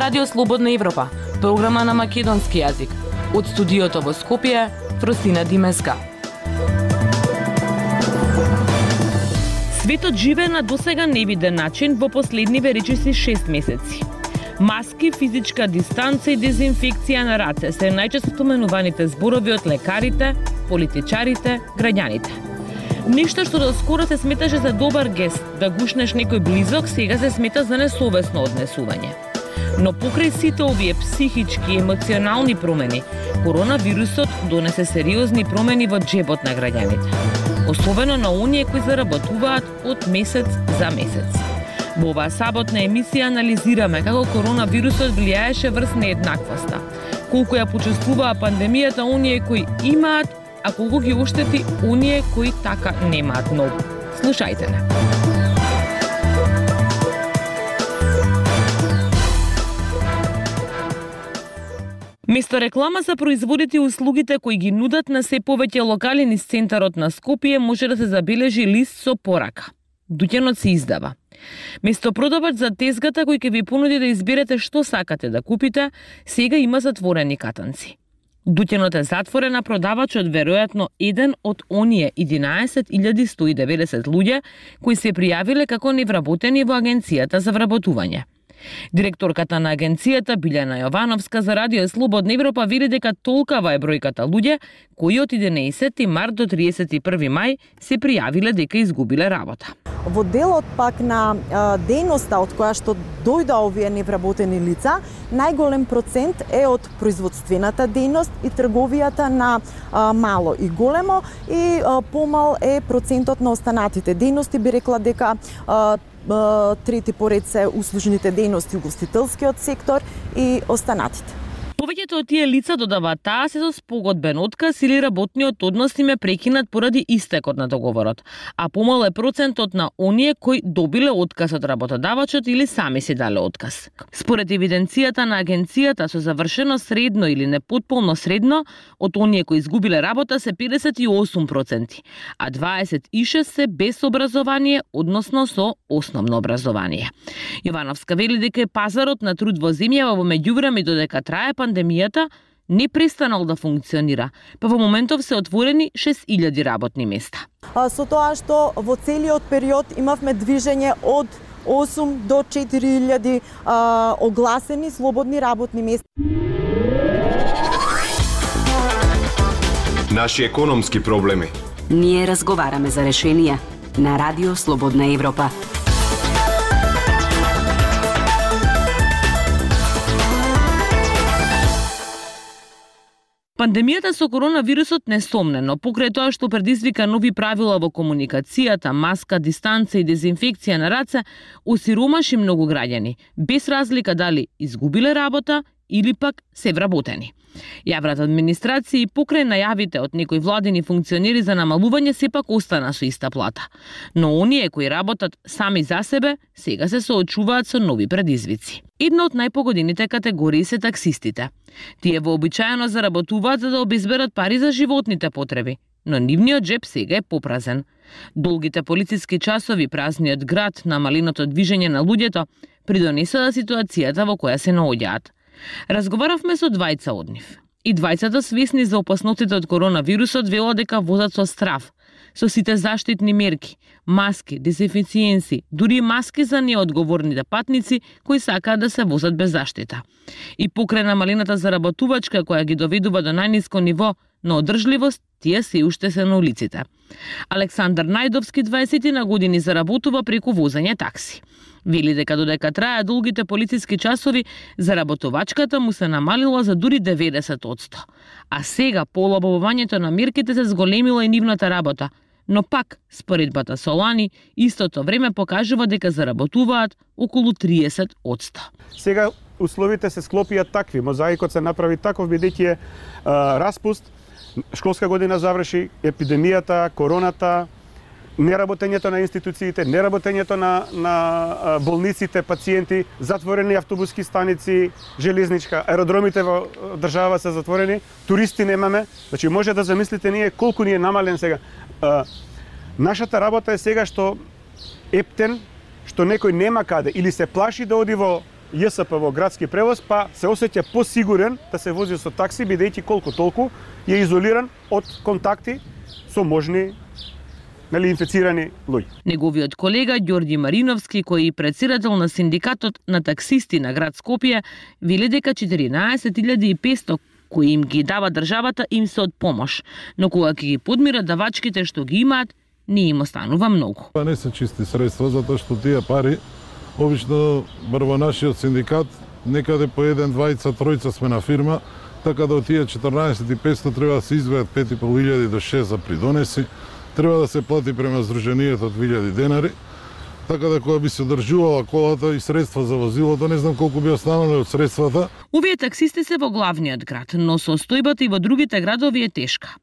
Радио Слободна Европа, програма на македонски јазик. Од студиото во Скопје, Фросина Димеска. Светот живее на досега невиден начин во последниве речиси 6 месеци. Маски, физичка дистанца и дезинфекција на раце се најчесто споменуваните зборови од лекарите, политичарите, граѓаните. Нешто што доскоро се сметаше за добар гест, да гушнеш некој близок, сега се смета за несовесно однесување. Но покрај сите овие психички и емоционални промени, коронавирусот донесе сериозни промени во џебот на граѓаните. Особено на оние кои заработуваат од месец за месец. Во оваа саботна емисија анализираме како коронавирусот влијаеше врз нееднаквоста, колку ја почувствуваа пандемијата оние кои имаат, а колку ги оштети оние кои така немаат многу. Слушајте не. Место реклама за производите и услугите кои ги нудат на се повеќе локали низ центарот на Скопје може да се забележи лист со порака. Дуќанот се издава. Место продавач за тезгата кој ќе ви понуди да изберете што сакате да купите, сега има затворени катанци. Дуќанот е затворен, а продавачот веројатно еден од оние 11.190 луѓе кои се пријавиле како невработени во агенцијата за вработување. Директорката на агенцијата Билјана Јовановска за Радио Слободна Европа вели дека толкава е бројката луѓе кои од 11 март до 31 мај се пријавиле дека изгубиле работа. Во делот пак на дејноста од која што дојда овие невработени лица, најголем процент е од производствената дејност и трговијата на мало и големо и помал е процентот на останатите дејности. Би рекла дека трети поред се услужните дејности, угостителскиот сектор и останатите. Повеќето од тие лица додаваат таа се со спогодбен отказ или работниот однос им е прекинат поради истекот на договорот, а помал е процентот на оние кои добиле отказ од работодавачот или сами си дале отказ. Според евиденцијата на агенцијата со завршено средно или непотполно средно, од оние кои изгубиле работа се 58%, а 26% се без образование, односно со основно образование. Јовановска вели дека пазарот на труд во земјава во меѓувреме додека трае пандемијата не престанал да функционира, па во моментов се отворени 6000 работни места. Со тоа што во целиот период имавме движење од 8 до 4000 огласени слободни работни места. Наши економски проблеми. Ние разговараме за решенија на Радио Слободна Европа. Пандемијата со коронавирусот несомнено, покрај тоа што предизвика нови правила во комуникацијата, маска, дистанца и дезинфекција на раце, осиромаши многу граѓани, без разлика дали изгубиле работа или пак се вработени. Јавната администрација и покрај најавите од некои владини функционери за намалување сепак остана со иста плата. Но оние кои работат сами за себе, сега се соочуваат со нови предизвици. Една од најпогодените категории се таксистите. Тие вообичаено заработуваат за да обезберат пари за животните потреби, но нивниот џеб сега е попразен. Долгите полициски часови, празниот град, намаленото движење на луѓето придонесоа ситуацијата во која се наоѓаат. Разговаравме со двајца од нив. И двајцата свесни за опасностите од коронавирусот велат дека возат со страв, со сите заштитни мерки, маски, дезинфициенси, дури маски за неодговорните патници кои сакаат да се возат без заштита. И покрај намалената заработувачка која ги доведува до најниско ниво на одржливост, тие се уште се на улиците. Александар Најдовски 20 на години заработува преку возење такси. Вели дека додека трае долгите полициски часови, заработувачката му се намалила за дури 90%. А сега, по олабавувањето на мерките, се зголемила и нивната работа. Но пак, споредбата со лани, истото време покажува дека заработуваат околу 30%. Сега условите се склопија такви, мозаикот се направи таков бидејќи е распуст, школска година заврши, епидемијата, короната, неработењето на институциите, неработењето на болниците, пациенти, затворени автобуски станици, железничка, аеродромите во држава се затворени, туристи немаме. Значи може да замислите ние колку ни е намален сега. Нашата работа е сега што ептен, што некој нема каде или се плаши да оди во ЈСП во градски превоз, па се осеќа посигурен да се вози со такси, бидејќи колку толку е изолиран од контакти со можни инфицирани луѓе. Неговиот колега Ѓорѓи Мариновски, кој е председател на синдикатот на таксисти на град Скопје, вели дека 14.500 кои им ги дава државата им се од помош, но кога ќе ги подмират давачките што ги имаат, не им останува многу. Не се чисти средства, затоа што тие пари обично во нашиот синдикат некаде по 1, 2, 3 сме на фирма, така да од тие 14.500 треба да се извеат 5.500 до 6 за придонеси, треба да се плати према Сдруженијето 2000 денари, така да кога би се одржувала колата и средства за возилото, не знам колку би останале од средствата. Овие таксисти се во главниот град, но состојбата и во другите градови е тешка.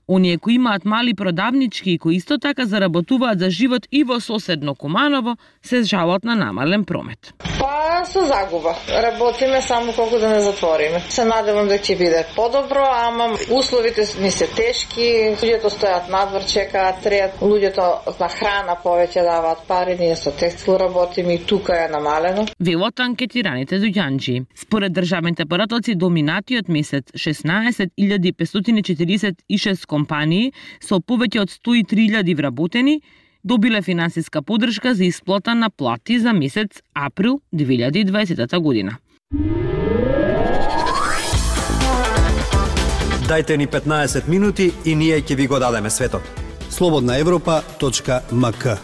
Оние кои имаат мали продавнички и кои исто така заработуваат за живот и во соседно Куманово, се жалат на намален промет. Па со загуба. Работиме само колку да не затвориме. Се надевам дека ќе биде подобро, ама условите ни се тешки. Луѓето стојат надвор, чекаат, треат. Луѓето на храна повеќе даваат пари, ние со текстил работиме и тука е намалено. Велат анкетираните доѓанџи. Според државните поратоци до минатиот месец 16.546 компании со повеќе од 103.000 вработени добиле финансиска поддршка за исплата на плати за месец април 2020 година. Дајте ни 15 минути и ние ќе ви го дадеме светот. slobodnaevropa.mk.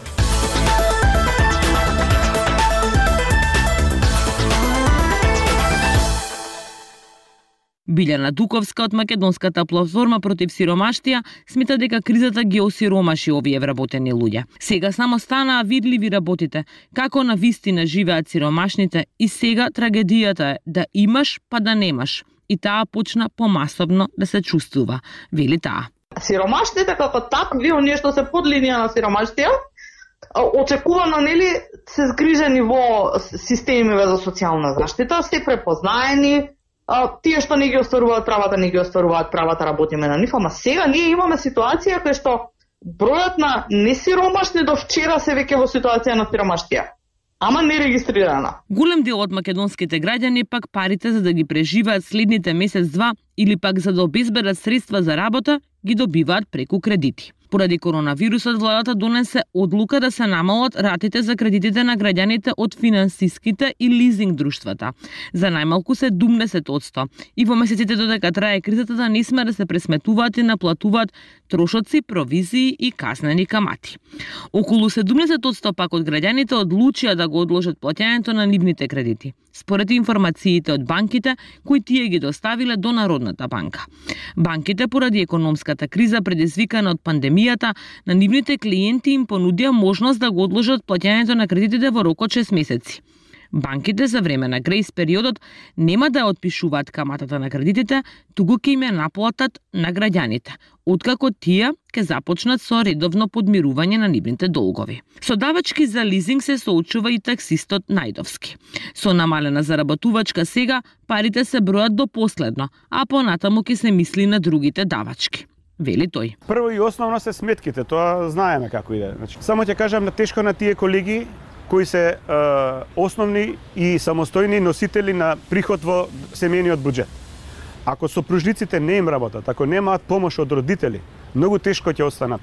Билјана Дуковска од Македонската платформа против сиромаштија смета дека кризата ги осиромаши овие вработени луѓе. Сега само станаа видливи работите, како на вистина живеат сиромашните и сега трагедијата е да имаш па да немаш. И таа почна помасовно да се чувствува, вели таа. Сиромашните како такви, оние што се под линија на сиромаштија, очекувано нели се згрижени во системиве за социјална заштита, се препознаени. Тие што не ги остваруваат правата, не ги остваруваат правата, работиме на нив, ама сега ние имаме ситуација кај што бројот на несиромашни до вчера се веќе во ситуација на сиромаштија, ама не регистрирана. Голем дел од македонските граѓани пак парите за да ги преживеат следните месец-два или пак за да обезбедат средства за работа, ги добиваат преку кредити. Поради коронавирусот, владата донесе одлука да се намалат ратите за кредитите на граѓаните од финансиските и лизинг друштвата за најмалку 70%. И во месеците додека трае кризата да не сме да се пресметуваат и наплатуваат трошоци, провизии и казнени камати. Околу 70% пак од граѓаните одлучија да го одложат плаќањето на нивните кредити, според информациите од банките кои тие ги доставиле до Народната банка. Банките поради економската криза предизвикана од пандемијата на нивните клиенти им понудија можност да го одложат плаќањето на кредитите во рок од 6 месеци. Банките за време на грејс периодот нема да отпишуваат каматата на кредитите, туку ќе им ја наплатат на граѓаните, откако тие ќе започнат со редовно подмирување на нивните долгови. Со давачки за лизинг се соочува и таксистот Најдовски. Со намалена заработувачка сега парите се бројат до последно, а понатаму ќе се мисли на другите давачки, вели тој. Прво и основно се сметките, тоа знаеме како иде. Значи, само ќе кажам на тешко на тие колеги кои се основни и самостојни носители на приход во семејниот буџет. Ако сопружниците не им работат, ако немаат помош од родители, многу тешко ќе останат.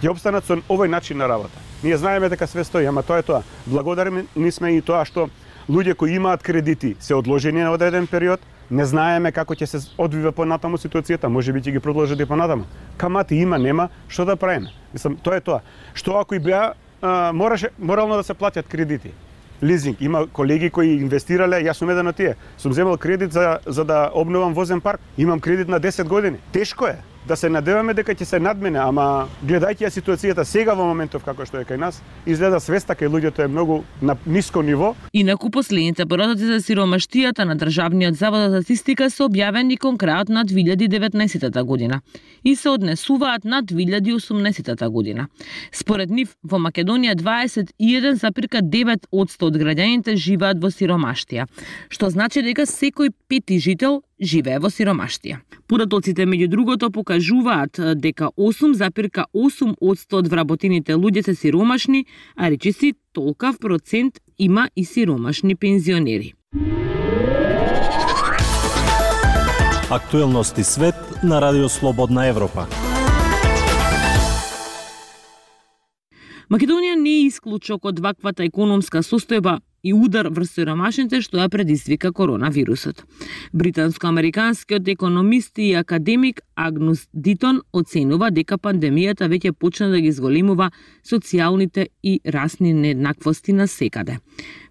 Ќе обстанат со овој начин на работа. Ние знаеме дека све стои, ама тоа е тоа. Благодарни сме и тоа што луѓе кои имаат кредити се одложени на одреден период, не знаеме како ќе се одвива понатаму ситуацијата, можеби ќе ги продолжат и понатаму. Камати има, нема, што да правиме? Мислам, тоа е тоа. Што ако и беа морално да се платят кредити. Лизинг. Има колеги кои инвестирале, јас сум еден од тие. Сум земал кредит за да обновам возен парк. Имам кредит на 10 години. Тешко е да се надеваме дека ќе се надмене, ама гледајќи ја ситуацијата сега во моментов како што е кај нас, изгледа свеста кај луѓето е многу на ниско ниво. Инаку последните поратоци за сиромаштијата на Државниот завод за статистика се објавени кон крајот на 2019 година и се однесуваат на 2018 година. Според нив, во Македонија 21,9% од граѓаните живеат во сиромаштија, што значи дека секој пети жител живее во сиромаштија. Поратоците меѓу другото покажуваат дека 8,8% од вработените луѓе се сиромашни, а речиси толкав процент има и сиромашни пензионери. Актуелности свет на Радио Слободна Европа. Македонија не е исклучок од ваквата економска состојба и удар врз сиромашните што ја предизвика коронавирусот. Британско-американскиот економист и академик Агнус Дитон оценува дека пандемијата веќе почна да ги зголемува социјалните и расни нееднаквости на секаде.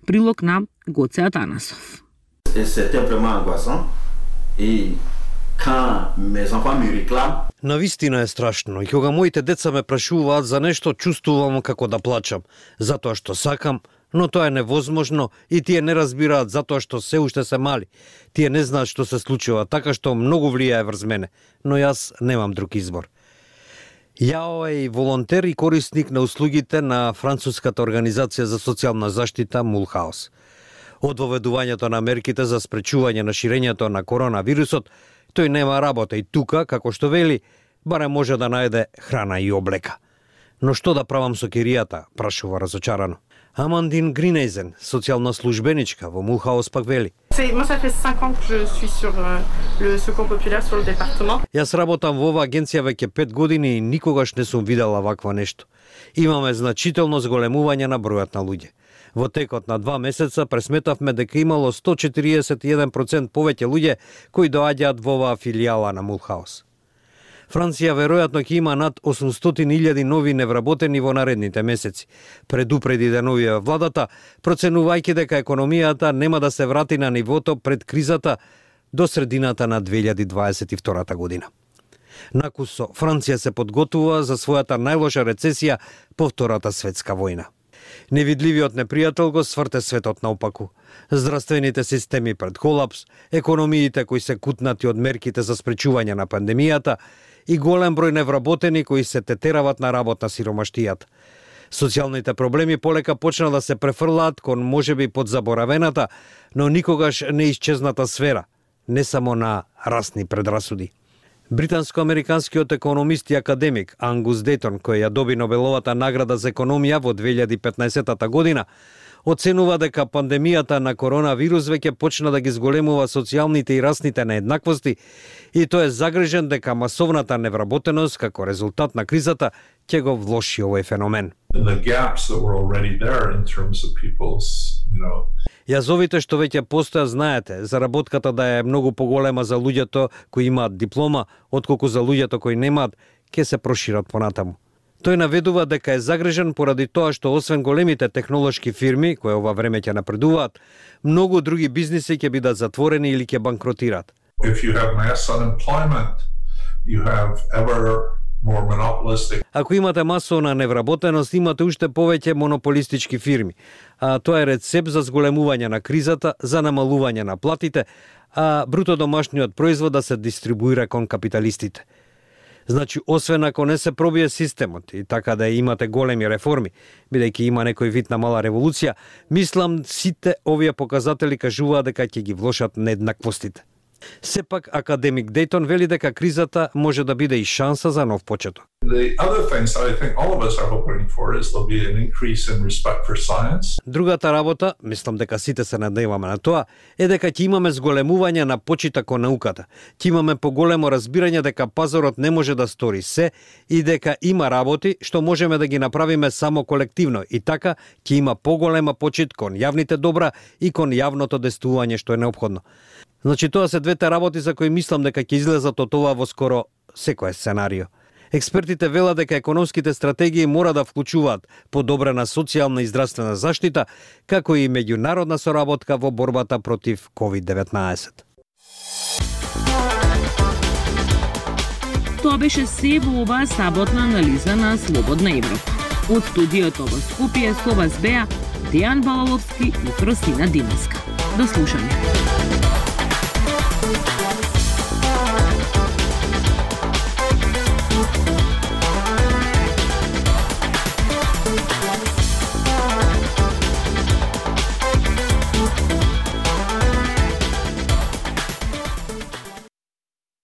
Прилог на Гоце Атанасов. Навистина е страшно и кога моите деца ме прашуваат за нешто, чувствувам како да плачам, затоа што сакам, но тоа е невозможно и тие не разбираат затоа што се уште се мали. Тие не знаат што се случува, така што многу влијае врз мене, но јас немам друг избор. Јао е и волонтер и корисник на услугите на француската организација за социјална заштита Мулхаус. Од воведувањето на мерките за спречување на ширењето на коронавирусот, тој нема работа и тука, како што вели, барем може да најде храна и облека. Но што да правам со киријата, прашува разочарано. Амандин Гринейзен, социјална службеничка во Мулхаус, пак вели. Јас работам во оваа агенција веќе 5 години и никогаш не сум видела вакво нешто. Имаме значително зголемување на бројот на луѓе. Во текот на 2 месеца пресметавме дека имало 141% повеќе луѓе кои доаѓаат во оваа филијала на Мулхаус. Франција веројатно ќе има над 800.000 нови невработени во наредните месеци. Предупреди деновија владата, проценувајќи дека економијата нема да се врати на нивото пред кризата до средината на 2022 година. Накусо, Франција се подготвува за својата најлоша рецесија по Втората светска војна. Невидливиот непријател го сврте светот наопаку. Здравствените системи пред колапс, економиите кои се кутнати од мерките за спречување на пандемијата и голем број невработени кои се тетерават на работ на сиромаштијата. Социјалните проблеми полека почна да се префрлаат кон можеби подзаборавената, но никогаш не исчезната сфера, не само на расни предрасуди. Британско-американскиот економист и академик Ангус Дейтон, кој ја доби Нобеловата награда за економија во 2015 година, оценува дека пандемијата на коронавирус веќе почна да ги зголемува социјалните и расните нееднаквости и тој е загрижен дека масовната невработеност како резултат на кризата ќе го влоши овој феномен. Јазовите што веќе постојат, знаете, заработката да е многу поголема за луѓето кои имаат диплома, отколку за луѓето кои немаат, ќе се прошират понатаму. Тој наведува дека е загрижен поради тоа што освен големите технолошки фирми, кои ова време ќе напредуваат, многу други бизниси ќе бидат затворени или ќе банкротираат. Ако имате масовна невработеност, имате уште повеќе монополистички фирми, а тоа е рецепт за зголемување на кризата, за намалување на платите, а бруто домашниот производ да се дистрибуира кон капиталистите. Значи, освен ако не се пробие системот и така да имате големи реформи, бидејќи има некој вид на мала револуција, мислам сите овие показатели кажуваат дека ќе ги влошат нееднаквостите. Сепак, академик Дейтон вели дека кризата може да биде и шанса за нов почеток. Другата работа, мислам дека сите се надеваме на тоа, е дека ќе имаме зголемување на почиток кон науката. Ќе имаме поголемо разбирање дека пазарот не може да стори се и дека има работи што можеме да ги направиме само колективно и така ќе има поголема почит кон јавните добра и кон јавното действување што е неопходно. Значи тоа се двете работи за кои мислам дека ќе излезат од ова во скоро секој сценарио. Експертите велат дека економските стратегии мора да вклучуваат подобрена социјална и здравствена заштита, како и меѓународна соработка во борбата против COVID-19. Тоа беше се во оваа саботна анализа на Слободна Европа. Од студиото во Скопје со вас беа Дејан Балаловски и Фросина Димовска. До слушање.